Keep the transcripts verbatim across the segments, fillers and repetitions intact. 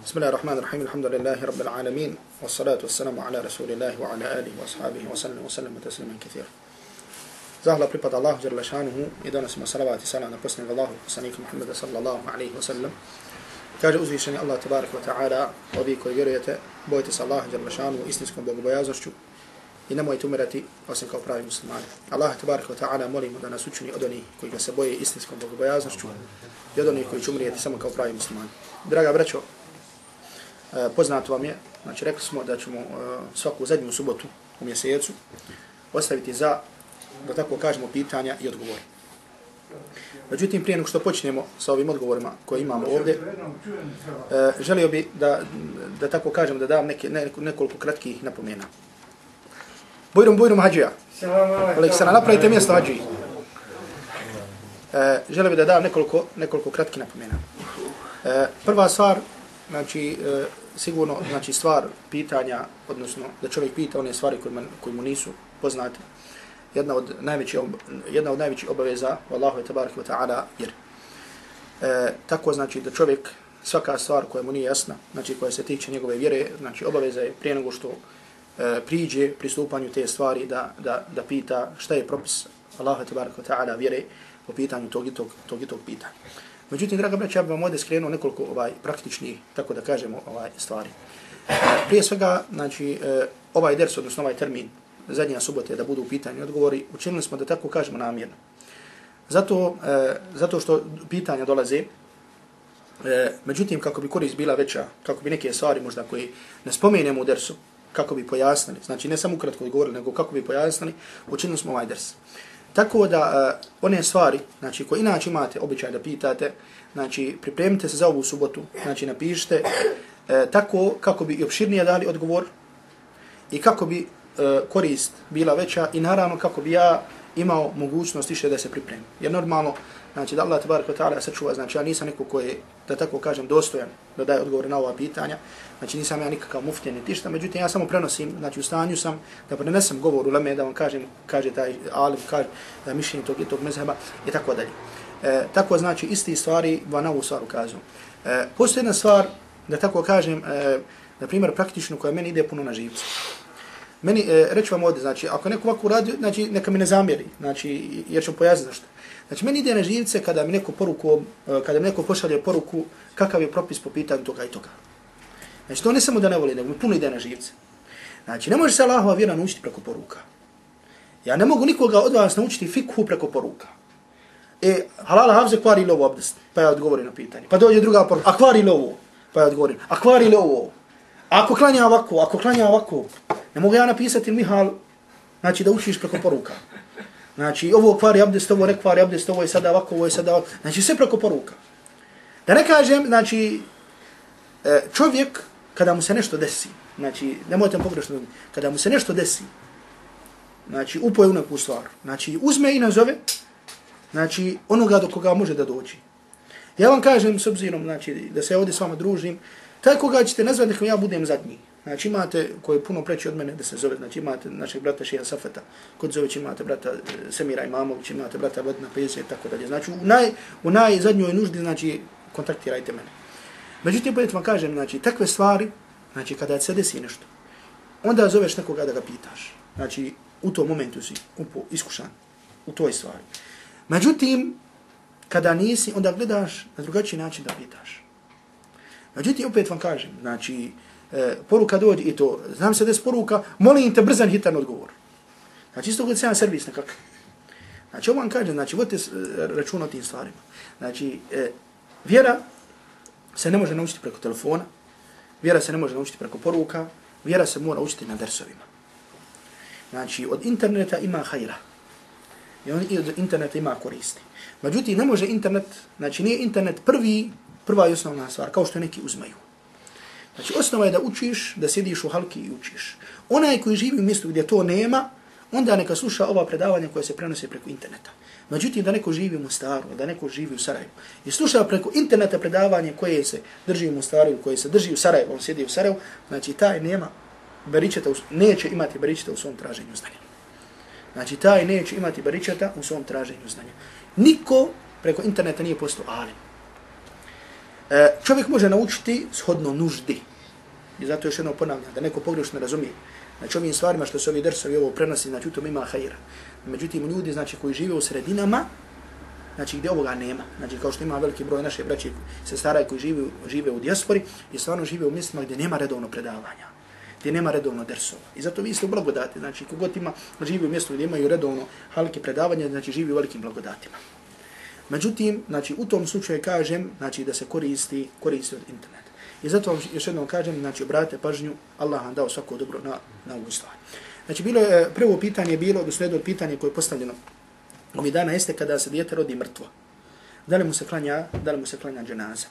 بسم الله الرحمن الرحيم الحمد لله رب العالمين والصلاة والسلام على رسول الله وعلى آله وأصحابه وسلم وسلم تسليما كثيرا. Zahvala pripada Allahu dželle šanuhu i donosimo salavat i salam na posljednjeg Allahu poslanika Muhammeda sallallahu alejhi ve sellem. Kaže uzvišeni Allah tebareke ve taala: ovi koji vjerujete, bojte se Allaha dželle šanuhu istinskom bogobojaznošću i nemojte umirati osim kao pravi muslimani. Allah tebareke ve taala molimo da nas učini od onih koji ga se boje istinskom bogobojaznošću i od onih koji će umrijeti samo kao pravi muslimani. Draga braćo, poznato vam je, znači rekli smo da ćemo svaku zadnju subotu u mjesecu ostaviti za, da tako kažemo, pitanja i odgovore. Međutim, prije nego što počnemo sa ovim odgovorima koje imamo ovdje, želio bi da, da tako kažem, da dam neke, ne, nekoliko kratkih napomena. Bujrum, bujrum, hađija. Aleksana, napravite mjesto hađiji. Želio bi da dam nekoliko, nekoliko kratkih napomena. Prva stvar, znači, sigurno, znači, stvar pitanja, odnosno da čovjek pita one stvari koje, man, koje mu nisu poznate, jedna od najvećih jedna od najvećih obaveza Allahu tebareke ve taala jer e, tako znači da čovjek svaka stvar koja mu nije jasna, znači koja se tiče njegove vjere, znači obaveza je prije nego što e, priđe pristupanju te stvari da da da pita šta je propis Allahu tebareke ve taala vjere po pitanju tog i tog, tog i tog pitanja. Međutim, draga braća, ja bih vam ovdje skrenuo nekoliko ovaj praktičnih, tako da kažemo, ovaj stvari. E, prije svega, znači e, ovaj ders, odnosno ovaj termin zadnja subote da budu u pitanju odgovori, učinili smo da tako kažemo namjerno. Zato, e, zato što pitanja dolaze, e, međutim, kako bi korist bila veća, kako bi neke stvari možda koje ne spomenemo u dersu, kako bi pojasnili, znači ne samo ukratko govorili, nego kako bi pojasnili, učinili smo ovaj ders. Tako da e, one stvari, znači koje inače imate običaj da pitate, znači pripremite se za ovu subotu, znači napišite e, tako kako bi i opširnije dali odgovor i kako bi korist bila veća i naravno kako bi ja imao mogućnost više da se pripremim. Jer normalno, znači da Allah tebareke ve taala sačuva, znači ja nisam neko koji je, da tako kažem, dostojan da daje odgovore na ova pitanja, znači nisam ja nikakav muftija ni tišta, međutim ja samo prenosim, znači u stanju sam da prenesem govor uleme, da vam kažem, kaže taj alim, kaže da je mišljenje tog i tog mezheba i tako dalje. E, tako znači isti stvari va na ovu stvar ukazuju. E, postoji jedna stvar, da tako kažem, e, na primjer praktično koja meni ide puno na živce. Meni, e, reći vam ovdje, znači, ako neko ovako radi, znači, neka mi ne zamjeri, znači, jer ću pojasniti zašto. Znači, meni ide na živce kada mi neko poruku, kada mi neko pošalje poruku kakav je propis po pitanju toga i toga. Znači, to ne samo da ne voli, nego mi puno ide na živce. Znači, ne može se Allahova vjera naučiti preko poruka. Ja ne mogu nikoga od vas naučiti fikhu preko poruka. E, halala havze kvari li ovo abdest? Pa ja odgovorim na pitanje. Pa dođe druga poruka, a kvari li ovo? Pa ja odgovorim, a kvari li ovo? Ako klanja ovako, ako klanja ovako, ne mogu ja napisati Mihal, znači da učiš preko poruka. Znači ovo kvari abdest, ovo ne kvari abdest, ovo je sada ovako, ovo je sada ovako. Znači sve preko poruka. Da ne kažem, znači čovjek kada mu se nešto desi, znači nemojte pogrešno, kada mu se nešto desi, znači upoje u neku stvar, znači uzme i nazove, znači onoga do koga može da dođi. Ja vam kažem s obzirom, znači da se ovdje s vama družim, taj koga ćete nazvati nekom ja budem zadnji. Znači imate, koji je puno preći od mene da se zove, znači imate našeg brata Šeha Safeta, kod Zović imate brata Semira Imamović, imate brata Vodna Peze i tako dalje. Znači u, naj, u najzadnjoj nuždi, znači kontaktirajte mene. Međutim, bolje vam kažem, znači takve stvari, znači kada se desi nešto, onda zoveš nekoga da ga pitaš. Znači u tom momentu si upo, iskušan u toj stvari. Međutim, kada nisi, onda gledaš na drugačiji način da pitaš. Međutim, opet vam kažem, znači, e, poruka dođe i to, znam se da je poruka, molim te brzan, hitan odgovor. Znači, isto kod se jedan servis nekakav. Znači, ovo vam kažem, znači, vodite računa o tim stvarima. Znači, e, vjera se ne može naučiti preko telefona, vjera se ne može naučiti preko poruka, vjera se mora učiti na dersovima. Znači, od interneta ima hajra. I od interneta ima koristi. Međutim, ne može internet, znači, nije internet prvi, prva i osnovna stvar, kao što neki uzmaju. Znači, osnova je da učiš, da sjediš u halki i učiš. Onaj koji živi u mjestu gdje to nema, onda neka sluša ova predavanja koja se prenose preko interneta. Međutim, da neko živi u Mostaru, da neko živi u Sarajevu i sluša preko interneta predavanje koje se drži u Mostaru, koje se drži u Sarajevu, on sjedi u Sarajevu, znači taj nema beričeta, neće imati beričeta u svom traženju znanja. Znači, taj neće imati beričeta u svom traženju znanja. Niko preko interneta nije postao alim. E, čovjek može naučiti shodno nuždi. I zato još jedno ponavljam, da neko pogrešno razumije. Znači ovim stvarima što se ovi dersovi ovo prenosi, znači u tom ima hajra. Međutim, ljudi znači, koji žive u sredinama, znači gdje ovoga nema, znači kao što ima veliki broj naše braće sestara koji žive, žive u dijaspori i stvarno žive u mjestima gdje nema redovno predavanja, gdje nema redovno dersova. I zato vi ste u blagodati, znači kogod ima, živi u mjestu gdje imaju redovno halke predavanja, znači živi u velikim blagodatima. Međutim, znači u tom slučaju kažem, znači da se koristi, koristi od interneta. I zato vam još jednom kažem, znači obratite pažnju, Allah vam dao svako dobro na, na ovu stvar. Znači bilo je, prvo pitanje je bilo, doslijedno pitanje koje je postavljeno ovih dana jeste kada se dijete rodi mrtvo. Da li mu se klanja, da li mu se klanja dženaza?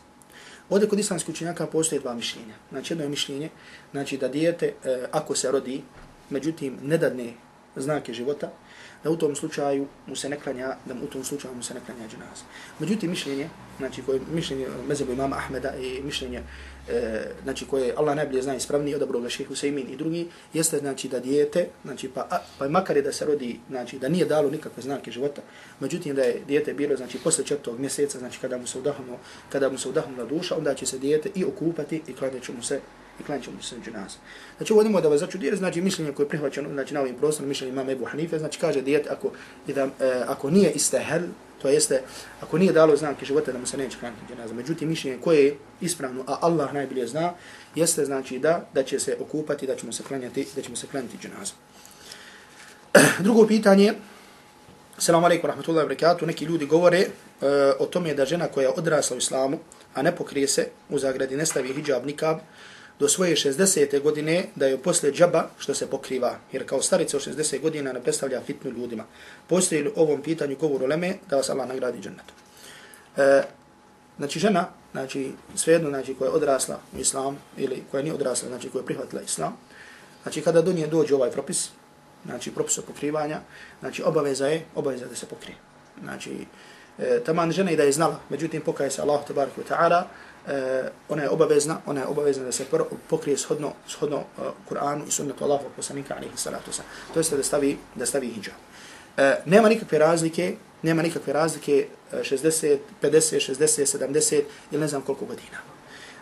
Ovdje kod islamskih učenjaka postoje dva mišljenja. Znači jedno je mišljenje, znači da dijete e, ako se rodi, međutim ne dadne znake života, da u tom slučaju mu se ne klanja, da u tom slučaju mu se ne klanja dženaza. Međutim mišljenje, znači koje mišljenje mezhebu imama Ahmeda i mišljenje e, znači koje Allah najbolje zna ispravnije od dobroga Šejh Husejmin i drugi, jeste znači da dijete, znači pa a, pa makar je da se rodi, znači da nije dalo nikakve znake života, međutim da je dijete bilo znači posle četvrtog mjeseca, znači kada mu se udahnulo, kada mu se udahnula duša, onda će se dijete i okupati i klanjaće mu se i klanjaće mu se dženaza. Znači ovo nemoj da vas začudi, jer znači mišljenje koje je prihvaćeno znači na ovim prostorima, mišljenje imama Ebu Hanife, znači kaže dijete ako da, e, ako nije istehel, to jeste ako nije dalo znake života da mu se neće klanjati dženaza. Međutim mišljenje koje je ispravno, a Allah najbolje zna, jeste znači da da će se okupati, da ćemo se klanjati, da ćemo se klanjati dženazu. Drugo pitanje, Selamu alejkum rahmetullahi ve berekatuh, neki ljudi govore e, o tome da žena koja je odrasla u islamu, a ne pokrije se, u zagradi ne stavi hidžab, nikab, do svoje šezdesete godine da je posle džaba što se pokriva, jer kao starica od šezdeset godina ne predstavlja fitnu ljudima. Postoji li ovom pitanju govor uleme da vas Allah nagradi džennetom? E, znači žena, znači svejedno znači koja je odrasla u islam ili koja nije odrasla, znači koja je prihvatila islam, znači kada do nje dođe ovaj propis, znači propis pokrivanja, znači obaveza je, obaveza da se pokrije. Znači e, taman žena i da je znala, međutim pokaje se Allah tebareke ve taala, Uh, ona je obavezna, ona je obavezna da se pokrije shodno, shodno uh, Kur'anu i sunnetu Allahovog poslanika alejhi salatu vesselam. To jest da stavi, da stavi hidžab. Uh, nema nikakve razlike, nema nikakve razlike uh, šezdeset, pedeset, šezdeset, sedamdeset ili ne znam koliko godina.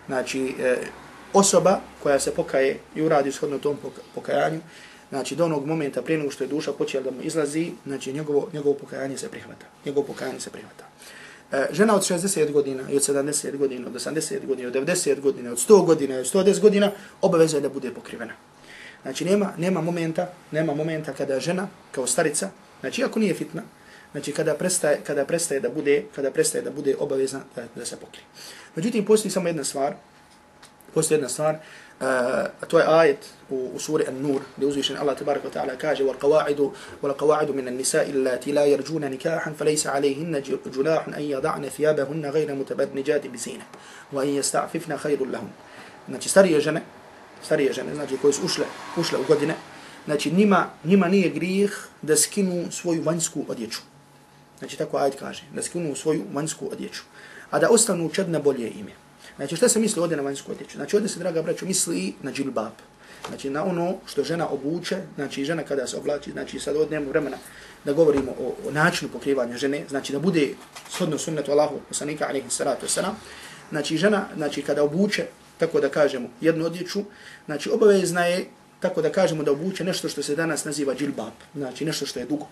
Znači uh, osoba koja se pokaje i uradi shodno tom pokajanju, znači do onog momenta prije nego što je duša počela da mu izlazi, znači njegovo, njegovo pokajanje se prihvata. Njegovo pokajanje se prihvata. Žena od šezdeset godina i od sedamdeset godina, od osamdeset godina, od devedeset godina, od sto godina, od sto deset godina, obaveza je da bude pokrivena. Znači nema, nema momenta, nema momenta kada žena kao starica, znači ako nije fitna, znači kada prestaje, kada prestaje da bude, kada prestaje da bude obavezna da, da se pokrije. Međutim postoji samo jedna stvar, postoji jedna stvar, Uh, to je ajet u, u suri An-Nur, gdje uzvišen Allah tabaraka wa ta'ala kaže وَالْقَوَاعِدُ وَالْقَوَاعِدُ مِنَ النِّسَاءِ اللَّاتِي لَا يَرْجُونَ نِكَاحًا فَلَيْسَ عَلَيْهِنَّ جُنَاحٌ أَنْ يَضَعْنَ ثِيَابَهُنَّ غَيْرَ مُتَبَرِّجَاتٍ بِزِينَةٍ وَأَنْ يَسْتَعْفِفْنَ خَيْرٌ لَهُنَّ. Znači starije žene, starije žene, znači koje su ušle, ušle u godine, znači njima, njima nije grijeh da skinu svoju vanjsku odjeću. Znači tako ajet kaže, da skinu svoju vanjsku odjeću, a da ostanu čedne bolje ime. Znači šta se misli ovdje na vanjsku odjeću? Znači ovdje se, draga braćo, misli na džilbab. Znači na ono što žena obuče, znači žena kada se oblači, znači sad ovdje nemamo vremena da govorimo o, o načinu pokrivanja žene, znači da bude shodno sunnetu Allahu poslanika alejhi salatu vesselam. Znači žena, znači kada obuče, tako da kažemo, jednu odjeću, znači obavezna je, tako da kažemo, da obuče nešto što se danas naziva džilbab, znači nešto što je dugo.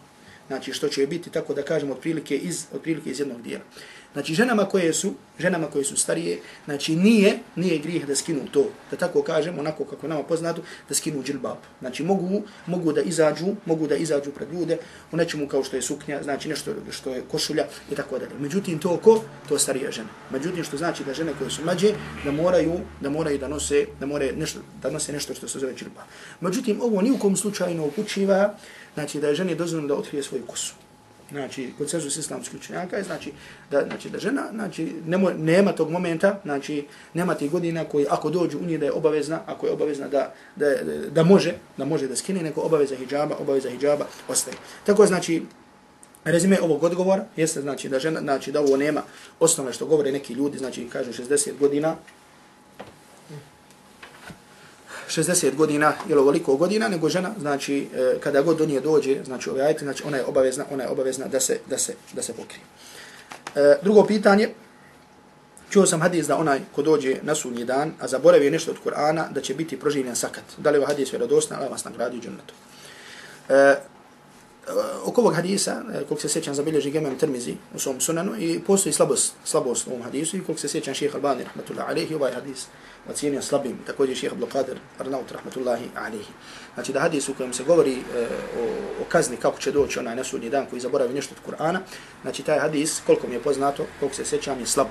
Znači što će biti, tako da kažemo, otprilike iz, otprilike iz jednog dijela. Znači ženama koje su, ženama koje su starije, znači nije, nije grijeh da skinu to, da tako kažemo, onako kako nama poznato, da skinu džilbab. Znači mogu, mogu da izađu, mogu da izađu pred ljude u nečemu kao što je suknja, znači nešto što je košulja i tako dalje. Međutim to ko? To starije žene. Međutim što znači da žene koje su mlađe da moraju, da moraju da nose, da moraju nešto, da nose nešto što se zove džilbab. Međutim ovo ni u kom slučaju ne upućiva, znači da je ženi dozvoljeno da otkrije svoju kosu. Znači, konsenzus islamskih učenjaka je znači da, znači da žena, znači nemo, nema tog momenta, znači nema tih godina koji ako dođu u nje da je obavezna, ako je obavezna da, da, da može, da može da skine, neko obaveza hidžaba, obaveza hidžaba ostaje. Tako znači, rezime ovog odgovora jeste znači da žena, znači da ovo nema osnovne što govore neki ljudi, znači kažu šezdeset godina, šezdeset godina ili ovoliko godina, nego žena, znači kada god do nje dođe, znači ove ajete, znači ona je obavezna, ona je obavezna da se da se da se pokrije. E, drugo pitanje, čuo sam hadis da onaj ko dođe na sudnji dan, a zaboravi nešto od Kur'ana, da će biti proživljen sakat. Da li je hadis vjerodostan, Allah vas nagradi u džennetu. E, oko ovog hadisa, koliko se sjećam, zabilježi Imam Tirmizi u svom sunanu i postoji slabost, slabost u ovom hadisu i koliko se sjećam šejh Albani, rahmatullahi alejhi, ovaj hadis ocijenio slabim, također šejh Abdul Qadir Arnaut, rahmatullahi alejhi. Znači da hadis u kojem se govori e, o, o kazni kako će doći onaj na sudnji dan koji zaboravi nešto od Kur'ana, znači taj hadis, koliko mi je poznato, koliko se sjećam, je slab.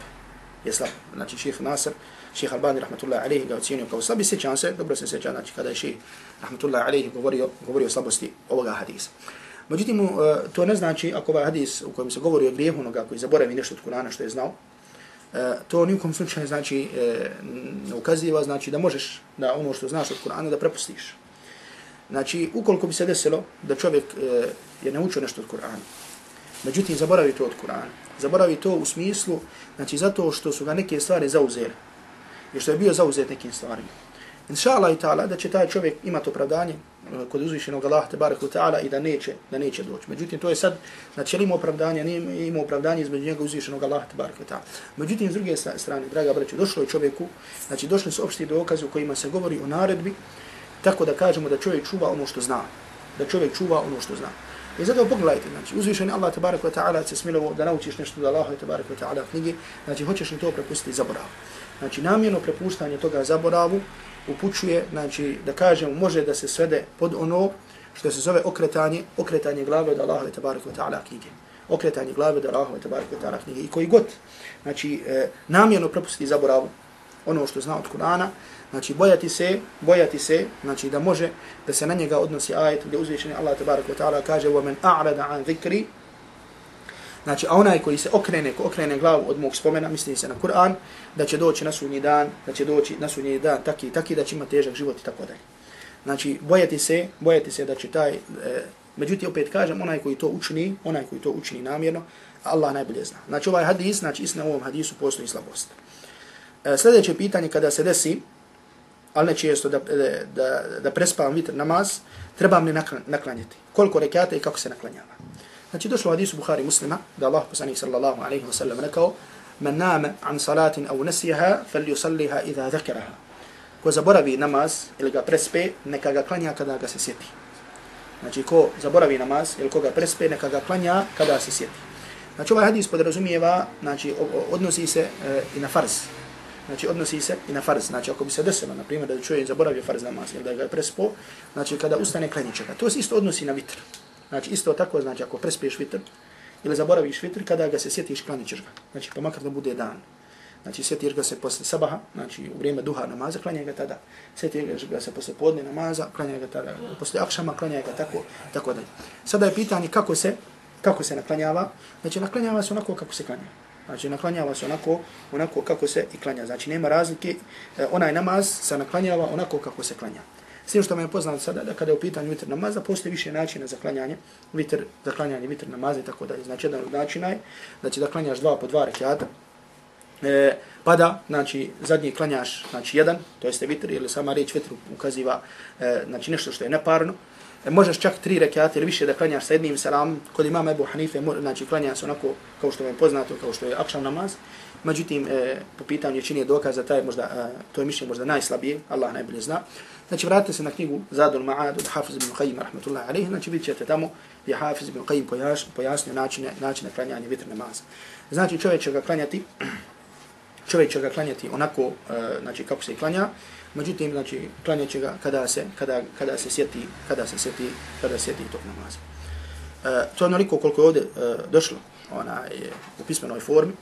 Je slab. Znači šejh Nasir, šejh Albani, rahmatullahi alejhi, ga ocijenio kao slab i sjećam se, dobro se sjećam, znači kada je šejh, rahmatullahi alejhi, govorio, govorio o slabosti ovoga hadisa. Međutim, to ne znači, ako ovaj hadis u kojem se govori o grijehu onoga koji zaboravi nešto od Kur'ana što je znao, to nijekom slučaju znači ne ukaziva, znači da možeš da ono što znaš od Kur'ana da prepustiš. Znači, ukoliko bi se desilo da čovjek je naučio nešto od Kur'ana, međutim zaboravi to od Kur'ana, zaboravi to u smislu, znači zato što su ga neke stvari zauzeli, jer što je bio zauzet nekim stvarima. Inša Allah i ta'ala da će taj čovjek imati opravdanje kod uzvišenog Allaha tebareka ve ta'ala i da neće, da neće doći. Međutim, to je sad, znači ima opravdanje, nije ima opravdanje između njega uzvišenog Allaha tebareka ve ta'ala. Međutim, s druge strane, draga braćo, došlo je čovjeku, znači došli su opšti dokazi u kojima se govori o naredbi, tako da kažemo da čovjek čuva ono što zna. Da čovjek čuva ono što zna. I zato pogledajte, znači uzvišeni Allah tebareka ve ta'ala se smilovo da naučiš nešto od Allaha tebareka ve ta'ala knjige, znači hoćeš li to prepustiti zaboravu. Znači namjerno prepuštanje toga zaboravu upućuje, znači da kažemo, može da se svede pod ono što se zove okretanje, okretanje glave od Allaha tebareka ve ta'ala knjige. Okretanje glave od Allaha tebareka ve ta'ala knjige. I koji god, znači e, namjerno prepustiti zaboravu ono što zna od Kur'ana, znači bojati se, bojati se, znači da može da se na njega odnosi ajet gdje uzvišeni Allah tebareka ve ta'ala kaže: "Wa man a'rada an dhikri", znači a onaj koji se okrene, ko okrene glavu od mog spomena, misli se na Kur'an, da će doći na sudnji dan, da će doći na sudnji dan taki i taki, da će imati težak život i tako dalje. Znači bojati se, bojati se da će taj, e, međutim opet kažem, onaj koji to učini, onaj koji to učini namjerno, Allah najbolje zna. Znači ovaj hadis, znači istina u ovom hadisu postoji slabost. E, sljedeće pitanje kada se desi, ali ne često da, da, da prespavam vitr namaz, trebam li naklanjati? Koliko rekata i kako se naklanjava? Znači došlo u hadisu Buhari Muslima da Allah poslanik sallallahu alejhi ve sellem rekao: "Man nama an salatin aw nasiha falyusalliha idha dhakaraha." Ko zaboravi namaz ili ga prespe, neka ga klanja kada ga se sjeti. Znači ko zaboravi namaz ili koga prespe, neka ga klanja kada se sjeti. Znači ovaj hadis podrazumijeva, znači odnosi se e, i na farz. Znači odnosi se i na farz. Znači ako bi se desilo, na primjer, da čovjek zaboravio farz namaz ili da ga je prespo, znači kada ustane klanja će ga. To se isto odnosi na vitr. Znači isto tako, znači ako prespiješ vitr ili zaboraviš vitr, kada ga se sjetiš, klanit ćeš ga. Znači pa makar da bude dan. Znači sjetiš ga se posle sabaha, znači u vrijeme duha namaza, klanjaj ga tada. Sjetiš ga se posle podne namaza, klanjaj ga tada. Posle akšama, klanjaj ga tako, tako dalje. Sada je pitanje kako se, kako se naklanjava. Znači naklanjava se onako kako se klanja. Znači naklanjava se onako, onako kako se i klanja. Znači nema razlike, onaj namaz se naklanjava onako kako se klanja. S tim što me je poznato sada da kada je u pitanju vitr namaza, postoji više načina za klanjanje, vitr, za klanjanje vitr namaza i tako dalje. Znači jedan od načina je znači, da klanjaš dva po dva rekiata, e, pa da znači, zadnji klanjaš znači, jedan, to jeste vitr, ili sama riječ vitr ukaziva e, znači, nešto što je neparno. E, možeš čak tri rekiata ili više da klanjaš sa jednim selamom. Kod imama Ebu Hanife znači, klanja se onako kao što je poznato, kao što je akšam namaz. Međutim, e, po pitanju većine dokaza, taj možda, e, to je mišljenje možda najslabije, Allah najbolje zna. Znači, vratite se na knjigu Zadul Ma'ad od Hafiz ibn Qayyim, rahmatullahi alejhi, znači vidjet ćete tamo gdje Hafiz ibn Qayyim pojasnio načine, načine klanjanja vitr namaza. Znači, čovjek će ga klanjati, čovjek će ga klanjati onako, uh, znači, kako se klanja, međutim, znači, klanjat će ga kada se, kada, kada se sjeti, kada se sjeti, kada se sjeti tog namaza. Uh, to je onoliko koliko je ovdje uh, došlo ona, je, u pismenoj formi.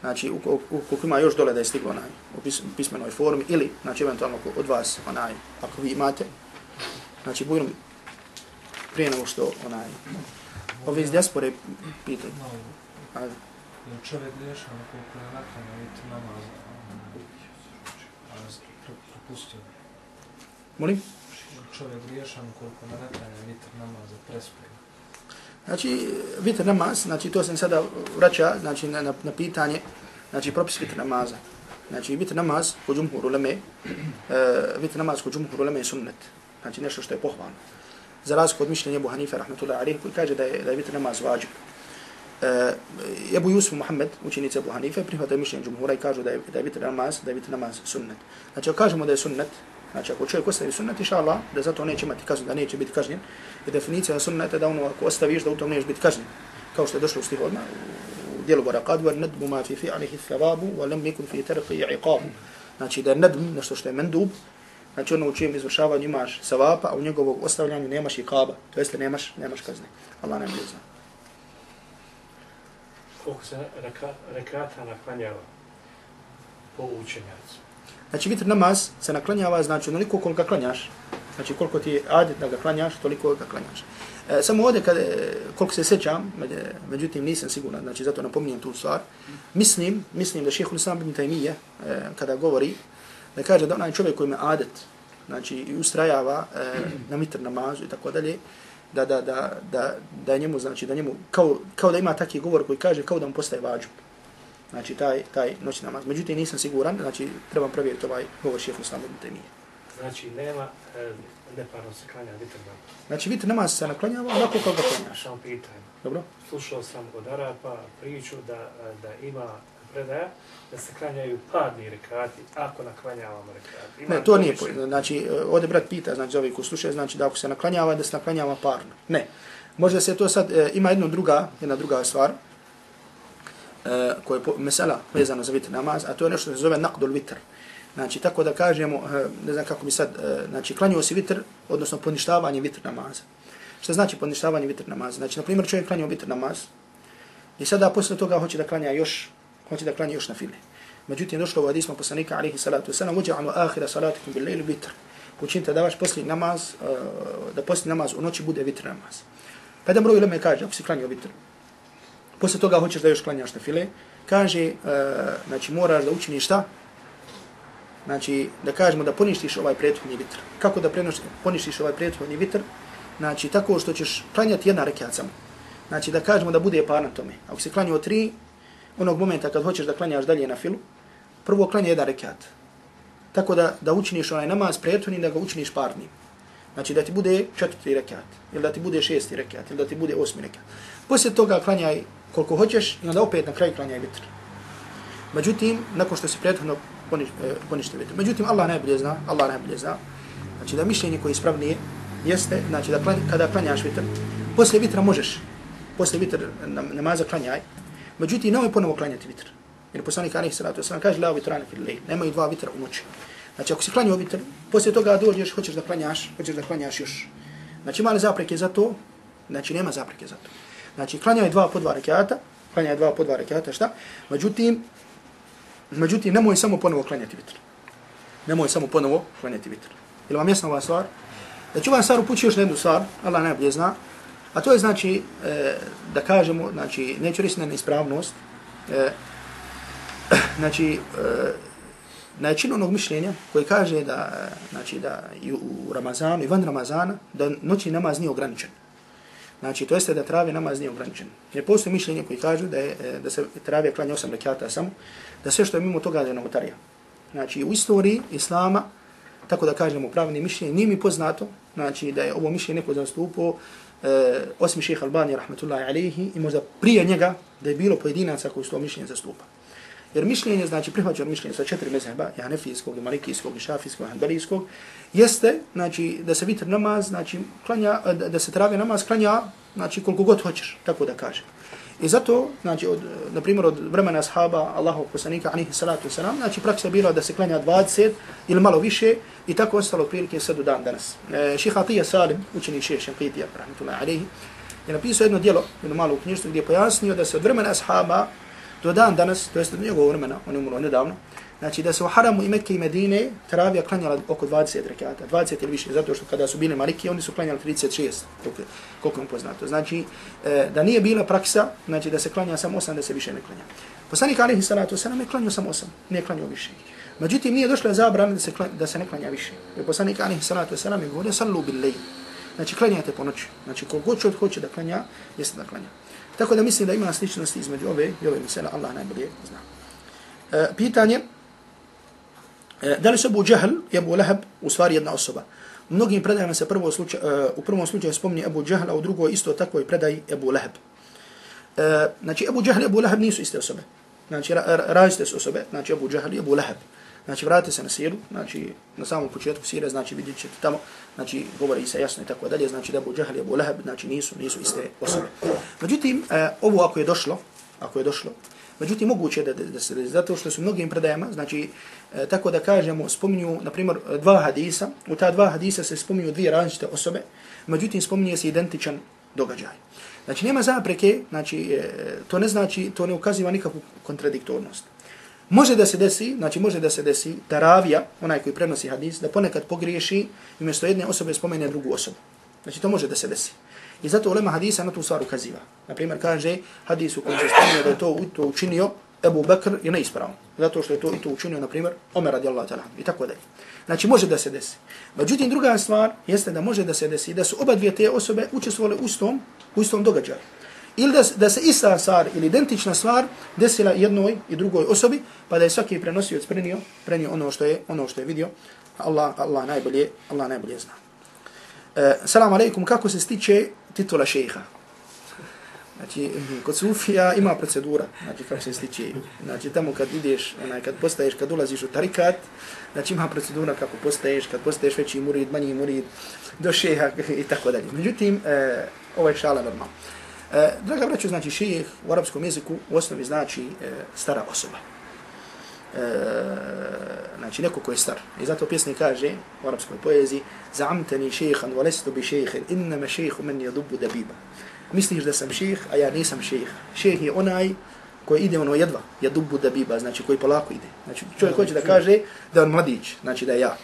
Znači, ukoliko ima još dole da je stiglo onaj, u pismenoj formi, ili, znači, eventualno od vas, onaj, ako vi imate, znači, bujno prije nego što, onaj, ove iz dijaspore pitaju. Je čovjek griješan koliko je naklanjao vitr namaz, a propustio? Molim? Čovjek griješan koliko je naklanjao vitr namaz, prespio? Znači, vitr namaz, znači to sam sada vraća, znači na, na, na pitanje, znači propis vitr namaza. Znači vitr namaz kod džumhur uleme, uh, vitr namaz kod džumhur uleme je sunnet, znači nešto što je pohvalno. Za razliku od mišljenja Ebu Hanife, rahmatullahi alejhi, koji kaže da je, da je vitr namaz vađib. Ebu Jusuf Muhammed, učenici Ebu Hanife, prihvataju mišljenje džumhura i kažu da je, da je vitr namaz, da je vitr namaz sunnet. Znači, ako kažemo da je sunnet, znači ako čovjek ostavi sunnet, inša Allah, da zato neće imati kaznu, da neće biti kažnjen, je definicija sunneta da ono ako ostaviš da u tom neće biti kažnjen. Kao što je došlo u stih odmah, u dijelu Barakad, wa nadbu ma fi fi'alihi thavabu, wa lam yakun fi tarqi iqabu. Znači da je nadm, nešto što je mendub, znači ono u čijem izvršavanju imaš savapa, a u njegovog ostavljanju nemaš iqaba, to jest nemaš, nemaš kazne. Allah nam je zna. Koliko se reka, rekata naklanjava po učenjacu? Znači vitr namaz se naklanjava, znači onoliko koliko ga klanjaš, znači koliko ti je adet da ga klanjaš, toliko ga klanjaš. E, samo ovdje kad, koliko se sjećam, međutim nisam siguran, znači zato napominjem tu stvar, mislim, mislim da šejh Islam ibn Taymije, e, kada govori, da kaže da onaj čovjek koji ima adet, znači i ustrajava e, na vitr namazu i tako dalje, da da da da da njemu znači da njemu kao kao da ima taki govor koji kaže kao da mu postaje vađib. Znači taj taj noćni namaz. Međutim nisam siguran, znači trebam provjeriti ovaj govor šejha Islama ibn Taymije. Znači nema e, neparno se klanja vitr namaz. Znači vitr namaz se naklanjava onako kako ga klanjaš. Samo pitanje. Dobro? Slušao sam od Arapa priču da da ima predaja da se klanjaju parni rekati ako naklanjavamo rekati. Ima ne, to nije, znači ovdje brat pita, znači za ovi ko slušaju, znači da ako se naklanjava, da se naklanjava parno. Ne. Možda se to sad, e, ima jedna druga, jedna druga stvar, e, koja je mesela vezano za vitr namaz, a to je nešto što se zove naqdul vitr. Znači, tako da kažemo, e, ne znam kako bi sad, e, znači, klanjao si vitr, odnosno poništavanje vitr namaza. Što znači poništavanje vitr namaza? Znači, na primjer, čovjek klanjao vitr namaz i sada posle toga hoće da klanja još, hoće da klanja još na file. Međutim, došlo u hadisma poslanika, alaihi salatu wasalam, uđa'anu ahira salatikum bil lejlu vitr. Učinite da vaš posljednji namaz, da posljednji namaz u noći bude vitr namaz. Pa jedan broj uleme kaže, ako si klanjao vitr, posle toga hoćeš da još klanjaš na file, kaže, znači moraš da učiniš šta? Znači, da kažemo da poništiš ovaj prethodni vitr. Kako da poništiš ovaj prethodni vitr? Znači, tako što ćeš klanjati jedna rekiat samo. Znači, da kažemo da bude par na tome. Ako si klanjao tri, onog momenta kad hoćeš da klanjaš dalje na filu, prvo klanja jedan rekiat. Tako da, da učiniš onaj namaz prethodni, da ga učiniš parnim. Znači, da ti bude četvrti rekiat, ili da ti bude šesti rekiat, ili da ti bude osmi rekiat. Poslije toga klanjaj koliko hoćeš i onda opet na kraju klanjaj vitr. Međutim, nakon što si prethodno poniš, e, ponište vitr. Međutim, Allah najbolje zna, Allah najbolje zna. Znači, da mišljenje koje je ispravnije jeste, znači, da klanj, kada klanjaš vitr, poslije vitra možeš, poslije vitr namaza klanjaj, međutim, nemoj ponovo klanjati vitr. Jer poslanik alejhi salatu vesselam kaže la vitrana fil lejl, nemoj dva vitra u noći. Znači, ako si klanjao vitr, poslije toga dođeš, hoćeš da klanjaš, hoćeš da klanjaš još. Znači, ima li zapreke za to? Znači, nema zapreke za to. Znači, klanjaj dva po dva rekiata, klanjaj dva po dva rekiata, šta? Međutim, međutim, nemoj samo ponovo klanjati vitr. Nemoj samo ponovo klanjati vitr. Ili vam jasna ova stvar? Znači, ovaj stvar upući još na jednu stvar, Allah najbolje zna, a to je znači, e, da kažemo, znači, neću reći na neispravnost, e, znači, e, na jačinu onog mišljenja koji kaže da, znači, da i u Ramazanu i van Ramazana, da noćni namaz nije ograničen. Znači, to jeste da travije namaz nije ograničen. Jer postoje mišljenje koji kažu da, je, da se travije klanja osam rekiata samo, da sve što je mimo toga da je novotarija. Znači, u istoriji Islama, tako da kažemo pravni mišljenje, nije mi poznato, znači da je ovo mišljenje neko zastupao, e, osim šejha Albani, rahmetullahi alejhi, i možda prije njega da je bilo pojedinaca koji su to mišljenje zastupa. Jer mišljenje, znači prihvaćeno mišljenje sa četiri mezheba, i hanefijskog, i malikijskog, i šafijskog, i hanbelijskog, jeste, znači, da se vitr namaz, znači, klanja, da, da se travi namaz klanja, znači, koliko god hoćeš, tako da kaže. I zato, znači, od, na primjer, od vremena ashaba, Allahovog poslanika, alejhi salatu wasalam, znači, praksa bila da se klanja dvadeset ili malo više, i tako ostalo otprilike sve do dan danas. E, Šejh Atija Salim, učenik šejha Šenqitija, rahmetullahi alejhi, je napisao jedno djelo, jedno malo knjižstvo, gdje je pojasnio da se od vremena ashaba do dan danas, to jest od njegovog vremena, on je umro nedavno, znači da se u Haramu i Mekke i Medine teravija klanjala oko dvadeset rekata, dvadeset ili više, zato što kada su bili Maliki, oni su klanjali trideset šest, koliko, koliko im poznato. Znači, e, da nije bila praksa, znači da se klanja samo osam, da se više ne klanja. Poslanik alejhi salatu vesselam je klanjao samo osam, nije klanjao više. Međutim, nije došla zabrana da se, da se ne klanja više. Jer poslanik alejhi salatu vesselam je govorio sallu bil lejl. Znači, klanjate po noći. Znači, koliko god hoće da klanja, jeste da klanja. Tako da mislim da ima sličnosti između ove i ove misele, Allah najbolje zna. E, pitanje, e, da li se Abu Džehl i Abu Lahab u stvari jedna osoba? U mnogim predajama se prvo slučaj, e, u prvom slučaju spominje Abu Džehl, a u drugoj isto takvoj predaji Abu Lahab. e, znači Ebu Džehl i Ebu Lahab nisu iste osobe. Znači različite su osobe, znači Ebu Džehl i Ebu Lahab. Znači vratite se na siru, znači na samom početku sire, znači vidjet ćete tamo, znači govori se jasno i tako dalje, znači da Ebu Džehl i Ebu Lahab, znači nisu, nisu iste osobe. Međutim, e, ovo ako je došlo, ako je došlo, međutim moguće da, da, da se, zato što su mnogim predajama, znači e, tako da kažemo, spominju, na primjer, dva hadisa, u ta dva hadisa se spominju dvije različite osobe, međutim spominje se identičan događaj. Znači nema zapreke, znači e, to ne znači, to ne ukaziva nikakvu kontradiktornost. Može da se desi, znači može da se desi da ravija, onaj koji prenosi hadis, da ponekad pogriješi i umjesto jedne osobe spomene drugu osobu. Znači to može da se desi. I zato ulema hadisa na tu stvar ukaziva. Naprimjer kaže hadis u kojem se spominje da je to, to učinio Ebu Bekr je neispravno. Zato što je to i to učinio, na primjer, Omer radijallahu ta'ala i tako dalje. Znači može da se desi. Međutim, druga stvar jeste da može da se desi da su oba dvije te osobe učestvovale u istom, u istom događaju. Ili da, da se ista stvar ili identična stvar desila jednoj i drugoj osobi, pa da je svaki prenosioc prenio, prenio ono što je ono što je vidio. Allah, Allah najbolje, Allah najbolje zna. E, Salam alejkum, kako se stiče titula šejha? Znači, kod Sufija ima procedura, znači kako se stiče. Znači, tamo kad ideš, onaj, kad postaješ, kad ulaziš u tarikat, znači ima procedura kako postaješ, kad postaješ veći murid, manji murid, do šeha i tako dalje. Međutim, e, ovo je šala normalno. E, draga braćo, znači šejh u arapskom jeziku u osnovi znači e, stara osoba. E, znači neko ko je star. I zato pjesnik kaže u arapskoj poeziji Za'amtani šejhan wa lestu bi šejhin innama šejhu men yadubu dabiba. Misliš da sam šejh, a ja nisam šejh. Šejh je onaj koji ide ono jedva, yadubu dabiba, znači koji polako ide. Znači čovjek hoće da kaže da on mladić, znači da je ja.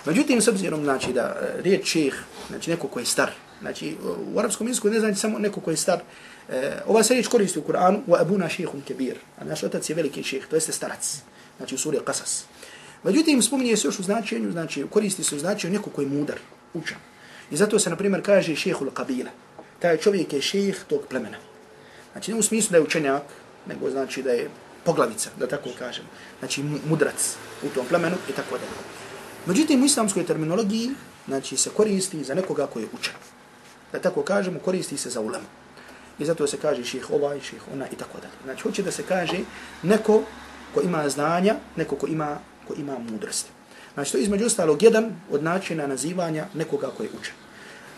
Međutim, s obzirom znači da riječ šejh, znači neko ko je star, znači u arapskom jeziku ne znači samo neko ko je star. E, ova se riječ koristi u Kur'anu, wa abuna šejhun kebir, a naš otac je veliki šejh, to jeste starac, znači u suri Qasas. Međutim, spominje se još u značenju, znači koristi se u značenju neko ko je mudar, učan. I zato se, na primjer, kaže šejhul qabila. Taj čovjek je šejh tog plemena. Znači ne u smislu da je učenjak, nego znači da je poglavica, da tako kažem. Znači mudrac u tom plemenu i tako dalje. Međutim, u islamskoj terminologiji znači se koristi za nekoga koji je učen. Da tako kažemo, koristi se za ulemu. I zato se kaže šejh ovaj, šejh ona i tako dalje. Znači hoće da se kaže neko ko ima znanja, neko ko ima, ko ima mudrosti. Znači to je između ostalog jedan od načina nazivanja nekoga koji je učen.